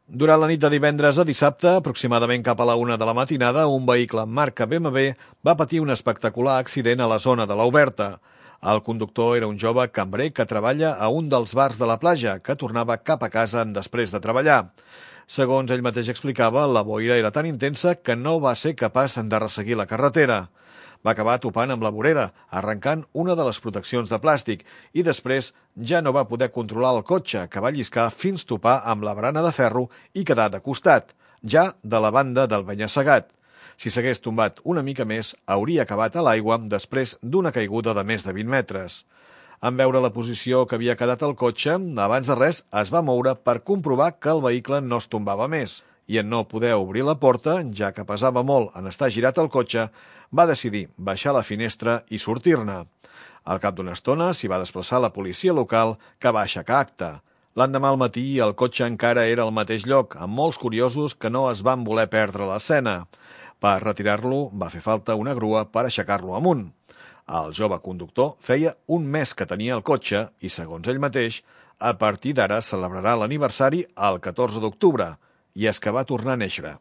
Durant la nit de divendres a dissabte, aproximadament cap a la 1 de la matinada, un vehicle marca BMW va patir un espectacular accident a la zona de l'Oberta. El conductor era un jove cambrer que treballa a un dels bars de la platja, que tornava cap a casa després de treballar. Segons ell mateix explicava, la boira era tan intensa que no va ser capaç de resseguir la carretera. Va acabar topant amb la vorera, arrencant una de les proteccions de plàstic i després ja no va poder controlar el cotxe, que va lliscar fins topar amb la barana de ferro i quedar de costat, ja de la banda del penya-segat. Si s'hagués tombat una mica més, hauria acabat a l'aigua després d'una caiguda de més de 20 metres. En veure la posició que havia quedat el cotxe, abans de res es va moure per comprovar que el vehicle no es tombava més i en no poder obrir la porta, ja que pesava molt en estar girat el cotxe, va decidir baixar la finestra i sortir-ne. Al cap d'una estona s'hi va desplaçar la policia local, que va aixecar acta. L'endemà al matí el cotxe encara era al mateix lloc, amb molts curiosos que no es van voler perdre l'escena. Per retirar-lo va fer falta una grua per aixecar-lo amunt. El jove conductor feia un mes que tenia el cotxe i, segons ell mateix, a partir d'ara celebrarà l'aniversari el 14 d'octubre, i és que va tornar a néixer.